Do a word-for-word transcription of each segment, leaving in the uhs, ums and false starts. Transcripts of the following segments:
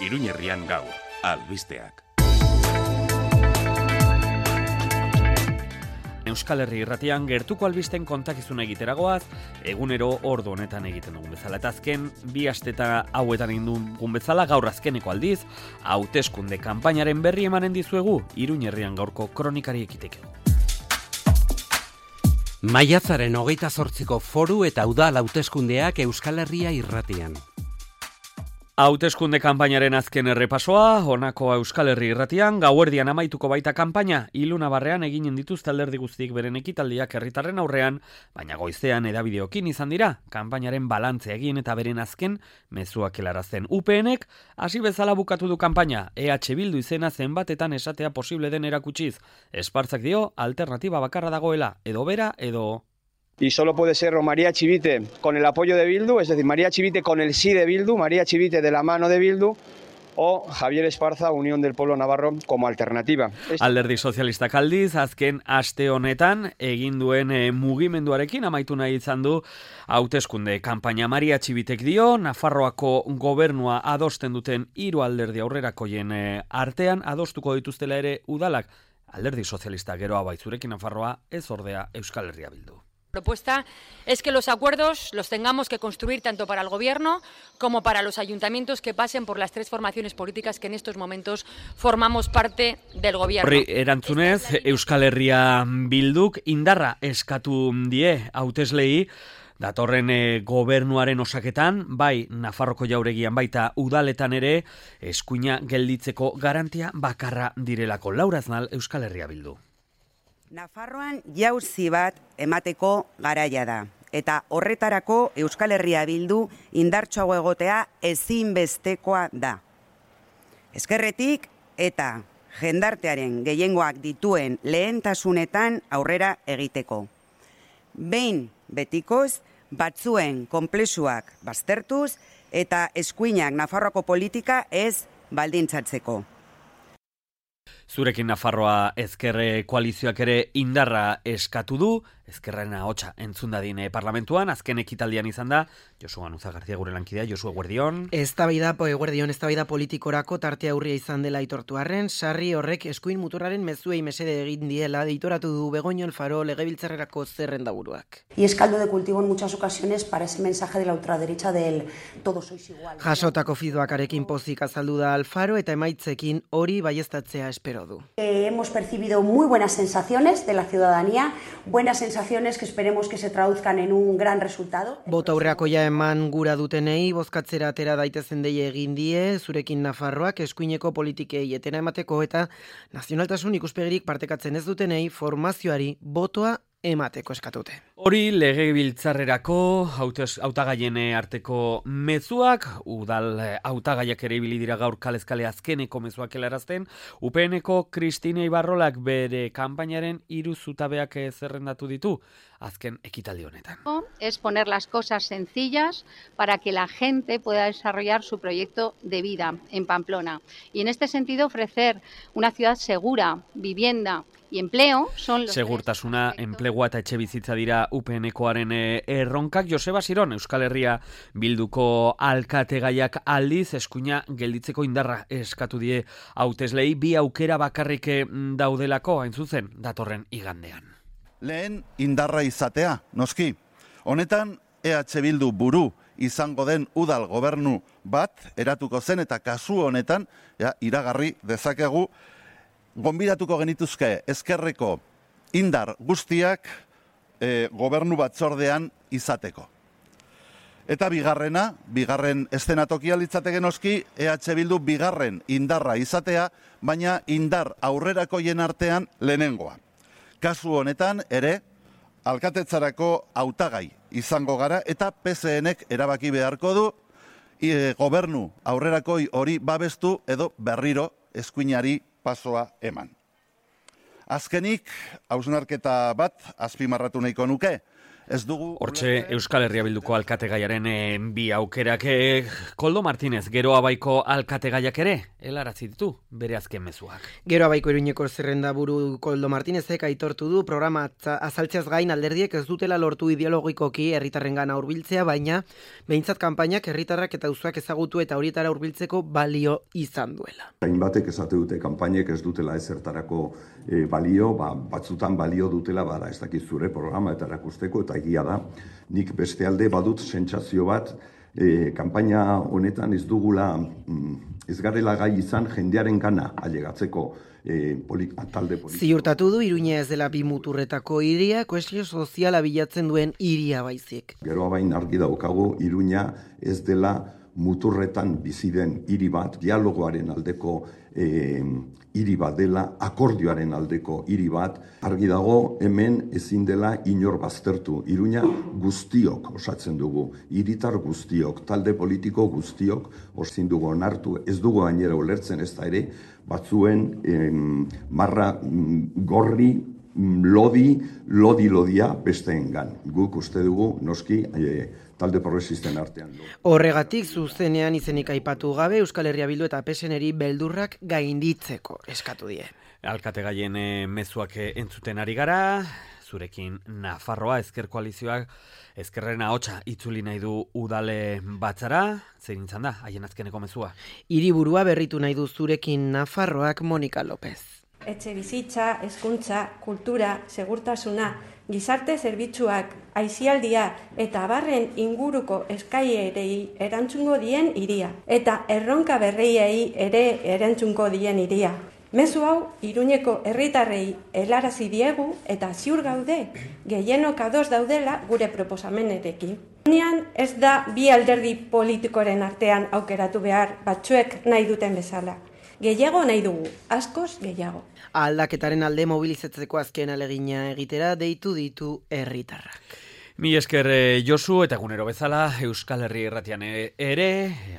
Iruñerrian gaur, albisteak. Euskal Herri irratian gertuko albisten kontakizuna egiteragoaz, egunero ordu honetan egiten dugun bezala. Eta azken, bi asteta hauetan egin dugun bezala, gaur azkeneko aldiz, hauteskunde kanpainaren berri emanen dizuegu, Iruñerrian gaurko kronikari ekiteko. Maiatzaren hogeita zortziko foru eta udal hauteskundeak Euskal Herria irratian. Hauteskunde kanpainaren azken errepasoa, honako Euskal Herri irratian, gauerdian amaituko baita kanpaina, Ilunabarrean eginen dituzte alderdi guztiek beren ekitaldiak herritarren aurrean, baina goizean edabideokin izan dira, kanpainaren balantzea egin eta beren azken mezuak helarazten. U P Nek hasi bezala bukatu du kanpaina, E H Bildu izena zenbatetan esatea posible den erakutsiz. Espartzak dio, alternatiba bakarra dagoela, edo bera, edo... Y solo puede ser o María Chivite con el apoyo de Bildu, es decir, María Chivite con el sí de Bildu, María Chivite de la mano de Bildu, o Javier Esparza, Unión del Pueblo Navarro, como alternativa. Alderdi sozialistak aldiz, azken aste honetan, egin duen e, mugimenduarekin amaitu nahi izan du hauteskunde kanpaina. Maria Txibitek dio, Nafarroako gobernua adosten duten hiru alderdi aurrerakoien e, artean, adostuko dituztela ere udalak. Alderdi sozialista geroa baitzurekin Nafarroa, ez ordea Euskal Herria Bildu. La propuesta es que los acuerdos los tengamos que construir tanto para el Gobierno como para los ayuntamientos que pasen por las tres formaciones políticas que en estos momentos formamos parte del Gobierno. Horri erantzunez, Euskal Herria Bilduk indarra eskatu die hauteslei, datorren e, gobernuaren osaketan, bai Nafarroko jauregian baita udaletan ere, eskuina gelditzeko garantia bakarra direlako. Laura Aznal, Euskal Herria Bildu. Nafarroan jauzi bat emateko garaia da, eta horretarako Euskal Herria Bildu indartsuago egotea ezinbestekoa da. Ezkerretik eta jendartearen gehiengoak dituen lehentasunetan aurrera egiteko. Behin betikoz, batzuen konplexuak baztertuz eta eskuinak Nafarroako politika ez baldintzatzeko. Zurekin Nafarroa ezkerre koalizioak ere indarra eskatu du, ezkerraren ahotsa entzun dadin parlamentuan, azken ekitaldian izan da, Josu Ganuza Garzia gure lankidea, Josu eguerdion. Eztabaida, eguerdion, eztabaida politikorako tartea aurria izan dela aitortu arren, sarri horrek eskuin muturraren mezuei mesede egin diela, deitoratu du Begoño Alfaro legebiltzarrerako zerrendaburuak. Y es caldo de cultivo en muchas ocasiones para ese mensaje de la ultraderecha del todos sois igual. Jasotako fidoakarekin pozik azaldu da Alfaro eta emaitzekin hori baieztatzea espero du. Eh, hemos percibido muy buenas sensaciones de la ciudadanía, buenas sensaciones que esperemos que se traduzcan en un gran resultado. Bota aurreakoia eman gura dutenei, bozkatzera atera daitezen deie egin die, zurekin Nafarroak eskuineko politikei etena emateko eta nazionaltasun ikuspegirik partekatzen ez dutenei formazioari botoa emateko eskatute. Hori legebiltzarrerako hautagaien arteko mezuak, udal hautagaiak ere ibili dira gaur kalezkale azkeneko mezuak helarazten, U P Neko Cristina Ibarrolak bere kanpainaren hiru zutabeak zerrendatu ditu azken ekitaldi honetan. Es poner las cosas sencillas para que la gente pueda desarrollar su proyecto de vida en Pamplona. Y en este sentido ofrecer una ciudad segura, vivienda y empleo son los Segurtasuna, enplegua eta etxe bizitza dira U P Nekoaren erronkak. Joseba Siron, Euskal Herria Bilduko alkategaiak aldiz eskuina gelditzeko indarra eskatu die hauteslei, bi aukera bakarrik daudelako hain zuzen datorren igandean. Lehen indarra izatea, noski. Honetan E H Bildu buru izango den udal gobernu bat eratuko zen eta kasu honetan ja, iragarri dezakegu gonbidatuko genituzke ezkerreko indar guztiak e, gobernu batzordean izateko. Eta bigarrena, bigarren eszenatokia litzateke noski, E H Bildu bigarren indarra izatea, baina indar aurrerakoien artean lehenengoa. Kasu honetan ere, alkatetzarako hautagai izango gara eta P S Nek erabaki beharko du e, gobernu aurrerakoi hori babestu edo berriro eskuinari pasoa eman. Azkenik, hausnarketa bat azpimarratu nahiko nuke, Ez dugu... Hortxe Euskal Herria Bilduko alkategaiaren eh, bi aukerak. Eh, Koldo Martinez, Gero Abaiko alkategaiak ere, helarazi ditu bere azken mezuak. Gero Abaiko Iruñeko zerrenda buru Koldo Martinezek aitortu du programa azaltzeaz gain alderdiek ez dutela lortu ideologikoki herritarrengana hurbiltzea, baina behintzat kanpainak herritarrak eta auzoak ezagutu eta horietara hurbiltzeko balio izan duela. Hainbatek esate dute kanpainek ez dutela ezertarako e, balio, ba, batzutan balio dutela bada ez dakit zure programa eta erakusteko, eta egia da, nik beste alde badut sentsazio bat, e, kanpaina honetan ez dugula, mm, ez garela gai izan jendearen gana ailegatzeko e, polit, talde politiko. Ziurtatu du Iruña ez dela bi muturretako hiria, kohesio soziala bilatzen duen hiria baizik. Gero Abain argi daukagu Iruña ez dela muturretan bizi den hiri bat, dialogoaren aldeko eh, hiri bat dela, akordioaren aldeko hiri bat, argi dago hemen ezin dela inor baztertu. Iruña guztiok osatzen dugu, hiritar guztiok, talde politiko guztiok ezin dugu onartu, ez dugu gainera ulertzen ez da ere, batzuen em, marra mm, gorri, lodi, lodi-lodia besteengan. Guk uste dugu, noski, e, talde progresisten artean. Horregatik, zuzenean izenik aipatu gabe, Euskal Herria Bildu eta P S N-eri beldurrak gainditzeko eskatu die. Alkategaien e, mezuak entzuten ari gara, zurekin Nafarroa ezker koalizioak ezkerren ahotsa itzuli nahi du udale batzara, zein izan da, haien azkeneko mezua. Hiriburua berritu nahi du zurekin Nafarroak Monika López. Etxe bizitza, hezkuntza, kultura, segurtasuna, gizarte zerbitzuak, aisialdia eta abarren inguruko eskaierei erantzungo dien hiria. Eta erronka berriei ere erantzungo dien hiria. Mezu hau, Iruñeko herritarrei helarazi diegu eta ziur gaude, gehienok ados daudela gure proposamenerekin. Unean ez da bi alderdi politikoren artean aukeratu behar batzuek nahi duten bezala. Gehiago nahi dugu, askoz gehiago. Aldaketaren alde mobilizatzeko azken alegina egitera deitu ditu herritarrak. Mi esker Josu eta egunero bezala Euskal Herri Irratian ere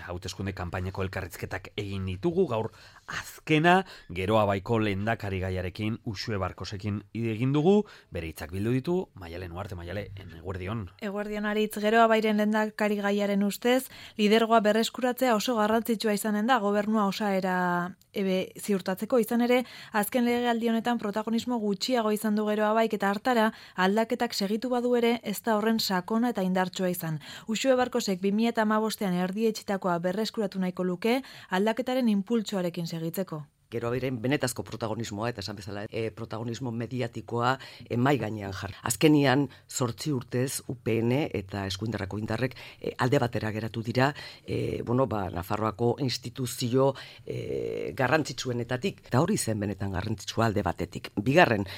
hauteskunde kanpainako elkarrizketak egin ditugu, gaur azkena Gero Abaiko lehendakari gaiarekin Uxue Barkosekin egin dugu, bere hitzak bildu ditu Maialen Uarte. Maiale, eguerdion. Eguerdion aritz, Gero Abairen lehendakari gaiaren ustez, lidergoa berreskuratzea oso garrantzitsua izanen da gobernua osaera ebe ziurtatzeko, izan ere azken legealdi honetan protagonismo gutxiago izan du Gero Abaik eta hartara aldaketak segitu badu ere ez da horren sakona eta indartsua izan. Uxue Barkosek bi mila hamabostean erdietsitakoa berreskuratu nahiko luke aldaketaren impultsoarekin segitzeko. Gero Abairen benetazko protagonismoa, eta esan bezala, e, protagonismo mediatikoa emai gainean jar. Azkenian, zortzi urtez U P N eta eskuindarrako indarrek e, alde batera geratu dira, e, bueno, ba, Nafarroako instituzio e, garrantzitsuenetatik, eta hori zen benetan garrantzitsua alde batetik. Bigarren,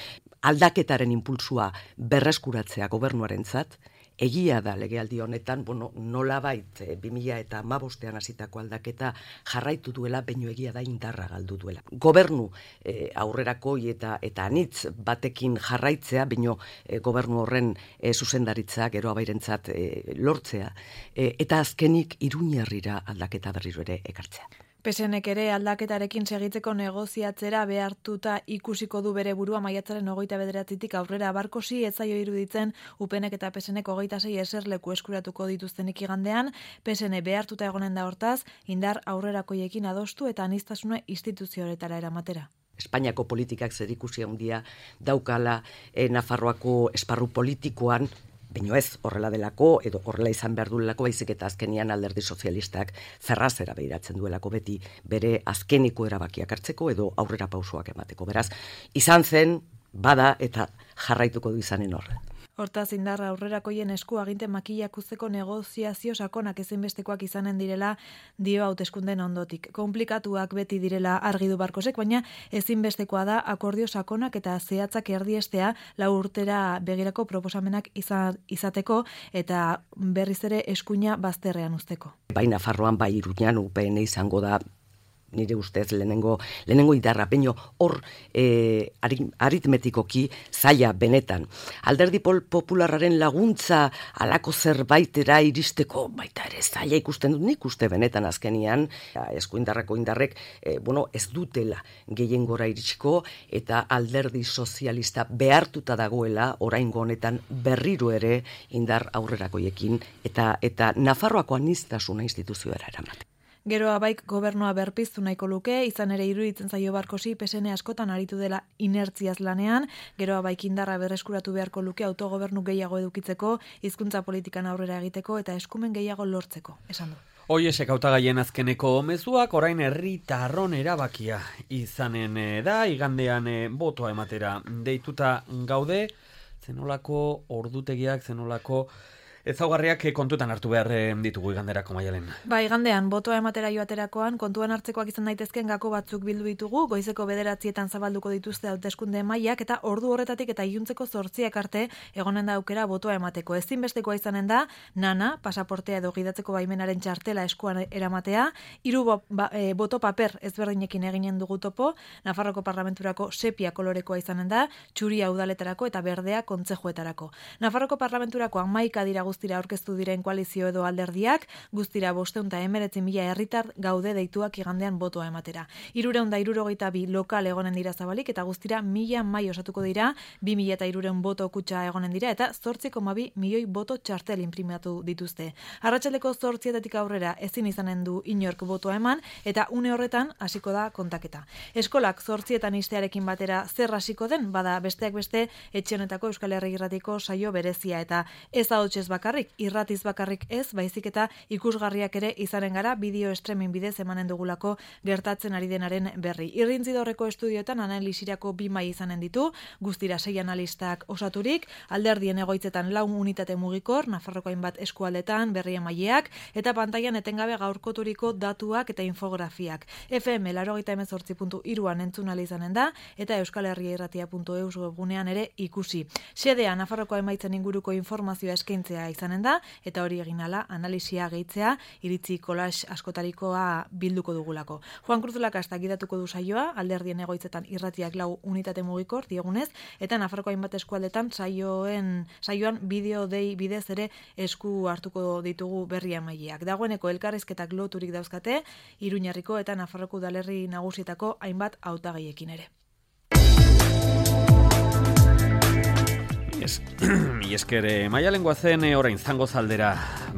aldaketaren impulsua berreskuratzea gobernuarentzat, egia da legealdi honetan, bueno, nolabait bi mila hamabostean hasitako aldaketa jarraitu duela, baino egia da indarra galdu duela. Gobernu e, aurrerakoi eta eta anitz batekin jarraitzea, baino e, gobernu horren e, zuzendaritza Gero Abairentzat e, lortzea, e, eta azkenik Iruñerrira aldaketa berriro ere ekartzea. P S Nek ere aldaketarekin segitzeko negoziatzera behartuta ikusiko du bere burua maiatzaren hogeita bederatzitik aurrera. Barkosi ez zaio iruditzen U P Nek eta P S Nek hogeita sei eserleku eskuratuko dituztenik igandean, P S N behartuta egonen da hortaz, indar aurrerakoiekin adostu eta aniztasuna instituzioetara eramatera. Espainiako politikak zerikusi handia daukala e, Nafarroako esparru politikoan, baina ez horrela delako, edo horrela izan behar duelako, baizik eta azkenian alderdi sozialistak ferrazera behiratzen duelako beti bere azkeniko erabakiak hartzeko edo aurrera pausoak emateko. Beraz, izan zen, bada eta jarraituko du izanen horre. Hortaz indarra aurrerakoien esku aginte makillak uzteko negoziazio sakonak ezinbestekoak izanen direla dio hauteskunden ondotik. Komplikatuak beti direla argi du Barkosek, baina ezinbestekoa da akordio sakonak eta zehatzak erdiestea lau urtera begirako proposamenak izateko eta berriz ere eskuina bazterrean uzteko. Bai Nafarroan, bai Iruñan U P N izango da nire ustez lehenengo, lehenengo indarra, peño hor e, aritmetikoki zaila benetan. Alderdi popularraren laguntza alako zerbaitera iristeko baita ere zaila ikusten dut, nik uste benetan azkenian, eskuindarrako indarrek, e, bueno, ez dutela gehiengora iritsiko eta alderdi sozialista behartuta dagoela oraingo honetan berriro ere indar aurrerakoiekin eta, eta Nafarroako aniztasuna instituzioera eramate. Geroa baik gobernua berpiztu nahiko luke, izan ere iruditzen zaio Barkosi P S N askotan aritu dela inertziaz lanean, geroa baik indarra berreskuratu beharko luke autogobernu gehiago edukitzeko, hizkuntza politikan aurrera egiteko eta eskumen gehiago lortzeko, esan du. Hoiesek hautagaien azkeneko mezuak orain herritarron erabakia izanen da, igandean botoa ematera deituta gaude, zenolako ordutegiak, zenolako ezaugarriak kontutan hartu behar ditugu iganderako, Maialen. Ba, igandean, botoa ematera joaterakoan, kontuan hartzekoak izan daitezken gako batzuk bildu ditugu, goizeko bederatzietan zabalduko dituzte hauteskunde mailak eta ordu horretatik eta iluntzeko zortziak arte egonen da aukera botoa emateko. Ezinbestekoa izanen da, nana, pasaportea edo gidatzeko baimenaren txartela eskuan eramatea, hiru ba, e, boto paper ezberdinekin eginen dugu topo, Nafarroko Parlamenturako sepia kolorekoa izanen da, txuria udaletarako eta berdea kontzejuetarako. Nafarroko Parlamenturako hamaika dira guztira aurkeztu diren koalizio edo alderdiak, guztira bosteun eta emeretzi mila herritar gaude deituak igandean botoa ematera. Hirureun da hirurogeita bi lokal egonen dira zabalik eta guztira mila mai osatuko dira, bi mila eta hirureun boto kutxa egonen dira eta zortzi koma bi milioi boto txartel imprimatu dituzte. Arratsaldeko zortzietatik aurrera ezin izanen du inork botoa eman eta une horretan hasiko da kontaketa. Eskolak zortzietan istearekin batera zer hasiko den, bada besteak beste etxe honetako Euskal Herri Irratiko saio berezia eta ez ahotsez bakarrik, irratiz bakarrik ez, baizik eta ikusgarriak ere izanen gara bideo streaming bidez emanen dugulako gertatzen ari denaren berri. Irrintzidorreko estudioetan analisirako bi mai izanen ditu, guztira sei analistak osaturik, alderdien egoitzetan lau unitate mugikor, Nafarroko hainbat eskualdetan, berri emaileak, eta pantailan etengabe gaurkoturiko datuak eta infografiak. F M laurogeita hemezortzi puntu hiruan entzun ahal izanen da, eta euskal herria irratia puntu eus webgunean ere ikusi. Xedea Nafarroko emaitzen inguruko informazioa eskaintzea izanen da, eta hori egin ala analisia gehitzea, iritzi kolax askotarikoa bilduko dugulako. Juan Cruz Lakasta gidatuko du saioa, alderdien egoitzetan irratiak lau unitate mugikor diegunez, eta Nafarroko hainbat eskualdetan saioen saioan bideo dei bidez ere esku hartuko ditugu berri emaileak. Dagoeneko elkarrizketak loturik dauzkate, Iruñerriko eta Nafarroko udalerri nagusietako hainbat hautagaiekin ere. Esker, Maialen goazen orain zango zaldera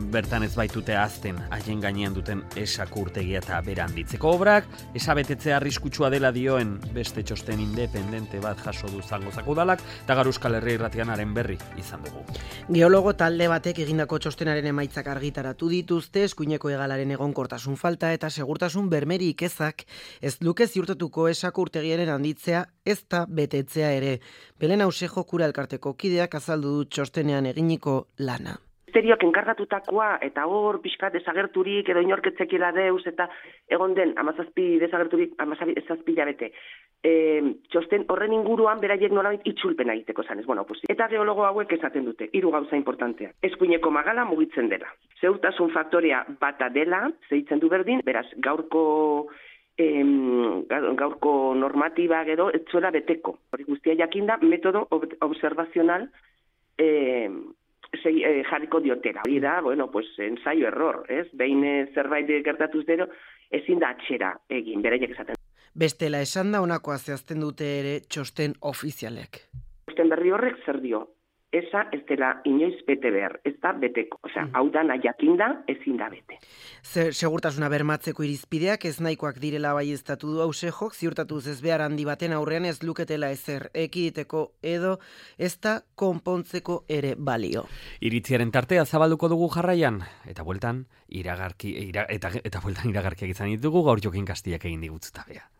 bertan ez baitute azten haien gainean duten esakurtegia eta bera handitzeko obrak, esabetetzea arriskutsua dela dioen beste txosten independente bat jaso du zango zakudalak, eta gaur Euskal Herria Irratianaren berri izan dugu. Geologo talde batek egindako txostenaren emaitzak argitaratu dituzte, eskuineko hegalaren egonkortasun falta eta segurtasun bermerik ezak ez luke ziurtatuko esakurtegiaren handitzea ez da betetzea ere. Belen Ausejo Kura elkarteko kideak azaldu du txostenean eginiko lana. Ministerioak enkargatutakoa eta hor pixkat desagerturik edo inorketzekila deus eta egon den amazazpi desagerturik amazazpi labete. E, txosten horren inguruan beraiek nolabait itzulpena egiteko zanez. Bueno, pues, eta geologo hauek esaten dute, hiru gauza importantea. Eskuineko magala mugitzen dela. Zeurtasun faktorea bata dela, zeitzen du berdin, beraz gaurko Em, gaurko normatiba gero ez zuela beteko. Hori guztia jakinda metodo ob- observazional eh, sei, eh, jarriko diotera. Hori da, bueno, pues, ensaio error, ez? Behin eh, zerbait gertatuz dero, ezin da atxera egin, beraiek esaten. Bestela esan da honakoa zehazten dute ere txosten ofizialek. Txosten berri horrek zer dio? Esa ez dela inoiz bete behar, ez da beteko. Osea, hau da nahiakinda ezin da bete. Zer, segurtasuna bermatzeko irizpideak ez nahikoak direla baieztatu du Ausejok, ziurtatuz ez behar handi baten aurrean ez luketela ezer ekiditeko edo ez da konpontzeko ere balio. Iritziaren tartea zabalduko dugu jarraian, eta bueltan iragarki, ira, eta, eta bueltan iragarkiak izan ditugu gaur Jokin Kastiak egin digutzutabea.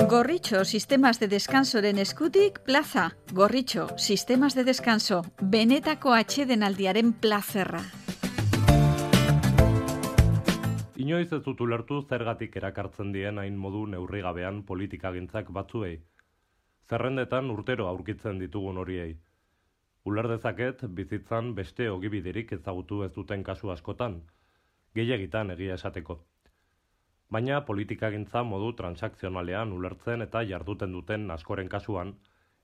Gorritxo, sistemas de descansoren eskutik, plaza. Gorritxo, sistemas de descanso, benetako atsedenaldiaren plazerra. Inoiz ez dut ulertu zergatik erakartzen dien hain modu neurrigabean politikagintzak batzuei. Zerrendetan urtero aurkitzen ditugun horiei. Uler dezaket bizitzan beste ogibiderik ezagutu ez duten kasu askotan, gehiegitan egia esateko. Baina politikagintza modu transakzionalean ulertzen eta jarduten duten askoren kasuan,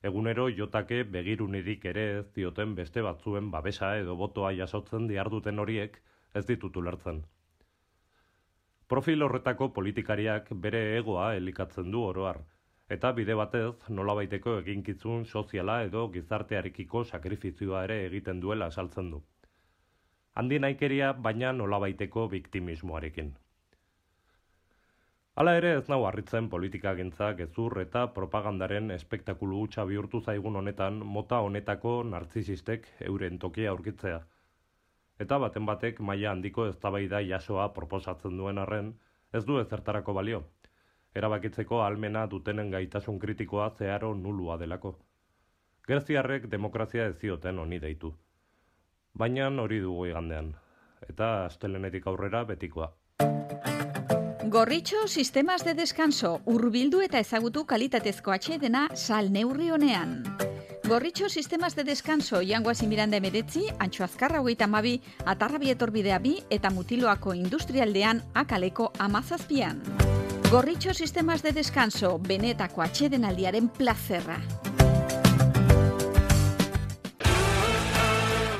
egunero jotake begirunirik ere ez dioten beste batzuen babesa edo botoa jasotzen diharduten horiek ez ditut ulertzen. Profil horretako politikariak bere egoa elikatzen du oroar, eta bide batez nolabaiteko eginkizun soziala edo gizartearekiko sakrifizioa ere egiten duela esaltzen du. Handi naikeria baina nolabaiteko biktimismoarekin. Hala ere ez nau harritzen politikagintza gezur eta propagandaren espektakulu hutsa bihurtu zaigun honetan mota honetako nartzisistek euren tokia aurkitzea. Eta baten batek maila handiko eztabaida jasoa proposatzen duen arren ez du ezertarako balio. Erabakitzeko ahalmena dutenen gaitasun kritikoa zeharo nulua delako. Greziarrek demokrazia ez zioten honi deitu. Baina hori dugu igandean. Eta astelenetik aurrera betikoa. Gorritxo sistemas de descanso, hurbildu eta ezagutu kalitatezko atsedena sal neurri honean. Gorritxo sistemas de descanso Jangoazi Miranda emeretzi, Antxo Azkarra hogeita hamabi, Atarrabi etorbidea bi eta Mutiloako industrialdean akaleko amazazpian. Gorritxo sistemas de descanso, benetako atsedenaldiaren plazerra.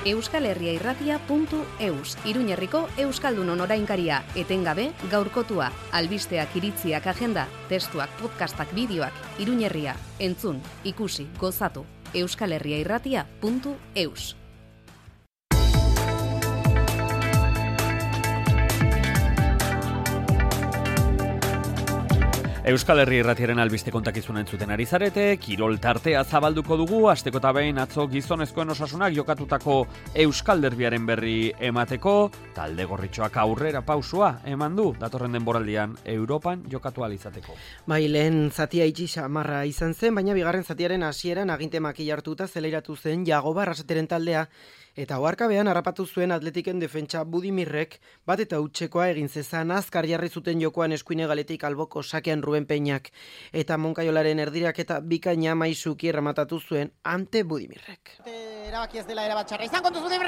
Euskal Herria Irratia puntu eus, Iruñerriko Euskaldunon orainkaria, etengabe gaurkotua, albisteak iritziak agenda, testuak, podcastak, bideoak, Iruñerria, entzun, ikusi, gozatu, Euskal Herria Irratia puntu eus. Euskal Herri Irratiaren albiste kontakizuna entzuten ari zarete, kirol tartea zabalduko dugu, asteko eta behin atzo gizonezkoen osasunak jokatutako Euskal Derbiaren berri emateko, talde gorritxoak aurrera pausua eman du, datorren denboraldian Europan jokatu alizateko. Bai, lehen zatia itxi xamarra izan zen, baina bigarren zatiaren hasieran aginte makila hartuta zeleiratu zen Jagoba Arrasateren taldea, eta oharkabean harrapatu zuen Atletiken defentsa Budimirrek bat eta hutsekoa egin zezan azkar jarri zuten jokoan eskuine galetik alboko sakean Ruben Peñak eta Moncaiolaren erdirak eta bikaina maisuki erramatatu zuen ante Budimirrek. Erabaki ez dela erabat txarra izan kontu zuten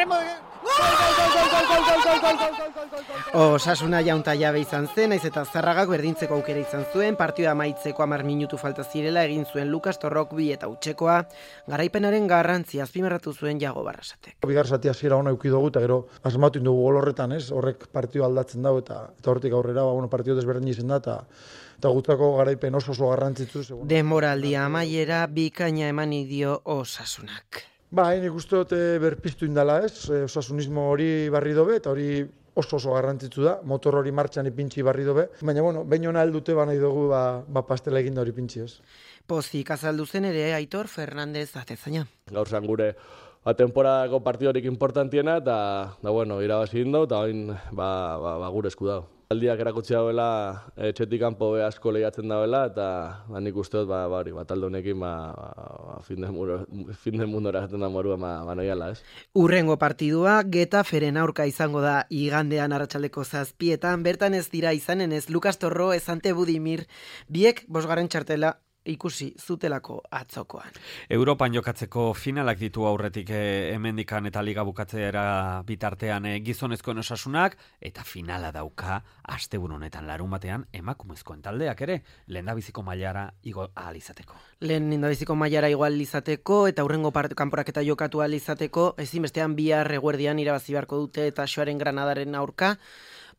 Osasuna jaunta jabe izan zen, naiz eta Zarragak berdintzeko aukera izan zuen, partioa amaitzeko hamar minutu falta zirela egin zuen Lukas Torrok bi eta hutsekoa, garaipenaren garrantzia azpimarratu zuen Jagoba Arrasatek. Bigar zati hasiera ona eduki dugu eta gero asmatu dugu gol horretan, ez? Horrek partio aldatzen dago eta eta hortik aurrera, ba bueno, partio desberdin izan da eta eta gutako garaipen oso oso garrantzitsu. Denboraldia amaiera bikaina emani dio Osasunak. Ba, nik uste dut berpiztu indala, ez? Osasunismo hori barri dobe eta hori oso oso garrantzitsu da, motor hori martxan ipintxi barri dobe, baina bueno, behin ona heldute ba nahi dugu ba, ba pastela eginda hori pintxi, ez? Pozik azaldu zen ere Aitor Fernandez Atezaina. Gaur zan gure ba, temporadako partidorik importantiena eta da bueno, irabazi indo eta orain ba, ba, ba gure esku dago. Aldiak erakutsi dauela etxetik kanpo be asko lehiatzen dauela eta ba nik uste dut ba ba hori, ba talde honekin ba, ba fin de mundo fin de mundo eratzen da morua ba, ba noiala, ez. Urrengo partidua Getaferen aurka izango da igandean arratsaldeko zazpietan, bertan ez dira izanen ez Lukas Torro ez ante Budimir, biek bosgarren txartela ikusi zutelako atzokoan. Europan jokatzeko finalak ditu aurretik eh, hemendikan eta liga bukatzera bitartean eh, gizonezkoen Osasunak eta finala dauka asteburu honetan larun batean emakumezkoen taldeak ere lehendabiziko mailara igo ahal izateko. Lehendabiziko mailara igo ahal izateko eta hurrengo kanporaketa jokatu ahal izateko ezinbestean bihar eguerdian irabazi beharko dute eta Xoaren Granadaren aurka.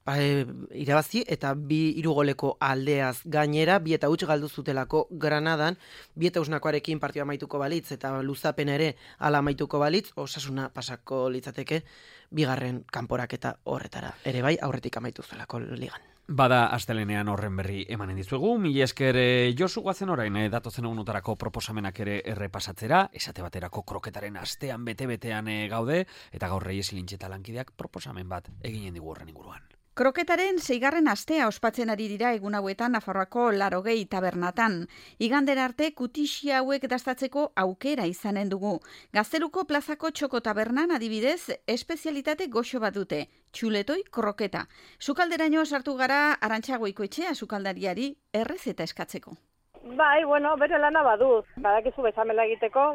Ba, e, irabazi eta bi hirugoleko aldeaz gainera, bi eta huts galdu zutelako Granadan, bi eta usnakoarekin partioa amaituko balitz eta luzapen ere ala amaituko balitz, Osasuna pasako litzateke bigarren kanporaketa horretara. Ere bai, aurretik amaitu zelako ligan. Bada astelenean horren berri emanen dizuegu, mila esker Josu guazen orain, eh, datozen egunotarako proposamenak ere errepasatzera, esate baterako kroketaren astean bete-betean eh, gaude, eta gaur Reyes Lintxeta lankideak proposamen bat eginen digu horren inguruan. Kroketaren seigarren astea ospatzen ari dira egun hauetan Nafarroako Larogei tabernatan. Igandera arte kutixi hauek dastatzeko aukera izanen dugu. Gazteluko plazako txoko tabernan adibidez, espezialitate goxo bat dute, txuletoi kroketa. Sukalderaino sartu gara Arantxa Goikoetxea sukaldariari errezeta eskatzeko. Bai, bueno, bere lana baduz. Badakizu bezamela egiteko,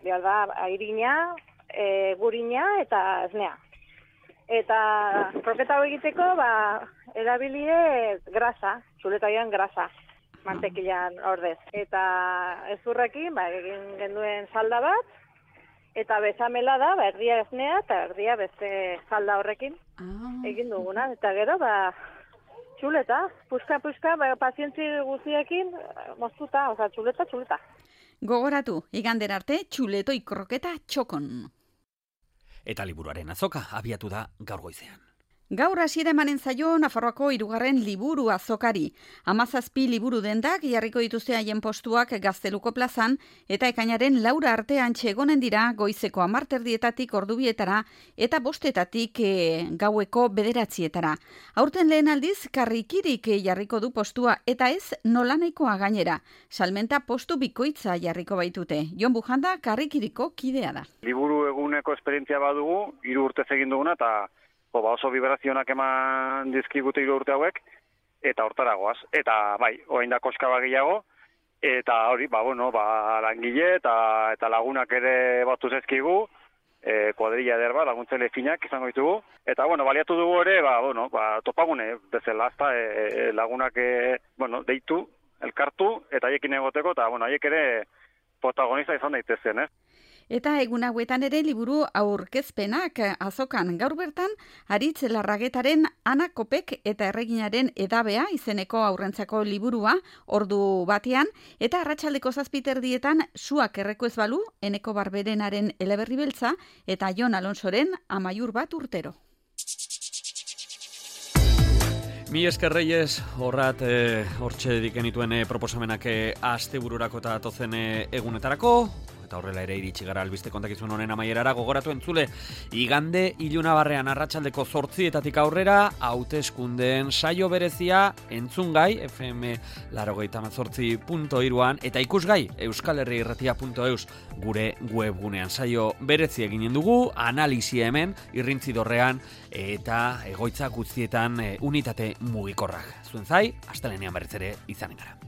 behar da, airina, e, gurina eta esnea. Eta kroketa hau egiteko, ba, erabilie grasa, txuletaian grasa, mantekilan ordez. Eta ezurrekin, ba, egin genduen salda bat, eta bezamela da, ba, erdia esnea eta erdia beste salda horrekin egin duguna. Eta gero, ba, txuleta, puska-puska, ba, pazientzi guztiekin moztuta, oza, txuleta, txuleta. Gogoratu, igander arte, txuletoi kroketa txokon. Eta liburuaren azoka abiatu da gaur goizean. Gaur hasiera emanen zaio Nafarroako hirugarren liburu azokari. Hamazazpi liburu dendak jarriko dituzte haien postuak Gazteluko plazan eta ekainaren laura artean txegonen dira goizeko hamarterdietatik ordubietara eta bostetatik e, gaueko bederatzietara. Aurten lehen aldiz karrikirik jarriko du postua eta ez nolanaikoa gainera. Salmenta postu bikoitza jarriko baitute. Jon Bujanda karrikiriko kidea da. Liburu eguneko esperientzia badugu, hiru urtez egin duguna eta Bo, ba oso vibrazionak eman dizkigute hiru urte hauek, eta hortaragoaz. Eta, bai, orain da koska bagiago, eta hori, ba, bueno, ba, langile eta eta lagunak ere batu zezkigu, e, kuadrilla ederba, laguntzaile finak izango ditugu. Eta, bueno, baliatu dugu ere, ba, bueno, ba, topagune, bezala, azta, e, lagunak, e, bueno, deitu, elkartu, eta haiekin egoteko, eta, bueno, haiek ere protagonista izan daitezen, eh? Eta egun hauetan ere liburu aurkezpenak azokan gaur bertan Aritz Larragetaren Ana Kopek eta Erreginaren edabea izeneko aurrentzako liburua ordu batean eta arratsaldeko zazpiterdietan Suak erreko ez balu Eneko Barberenaren Eleberri beltza eta Jon Alonsoren Amaiur bat urtero. Mi esker Reyes, horrat eh, hortxe dikenituen eh, proposamenak eh, astebururako eta atozen eh, egunetarako, eta horrela ere iritsi gara albiste kontakizun honen amaierara, gogoratu entzule, igande ilunabarrean arratsaldeko zortzietatik aurrera, hauteskundeen saio berezia entzungai, F M laurogeita hamazortzi puntu hiruan, eta ikusgai, euskal herri irratia puntu eus, gure webgunean saio berezi eginen dugu, analisia hemen, irrintzidorrean, eta egoitza guztietan e, unitate mugikorrak. Zuen zai, astelenean berriz ere izanen gara.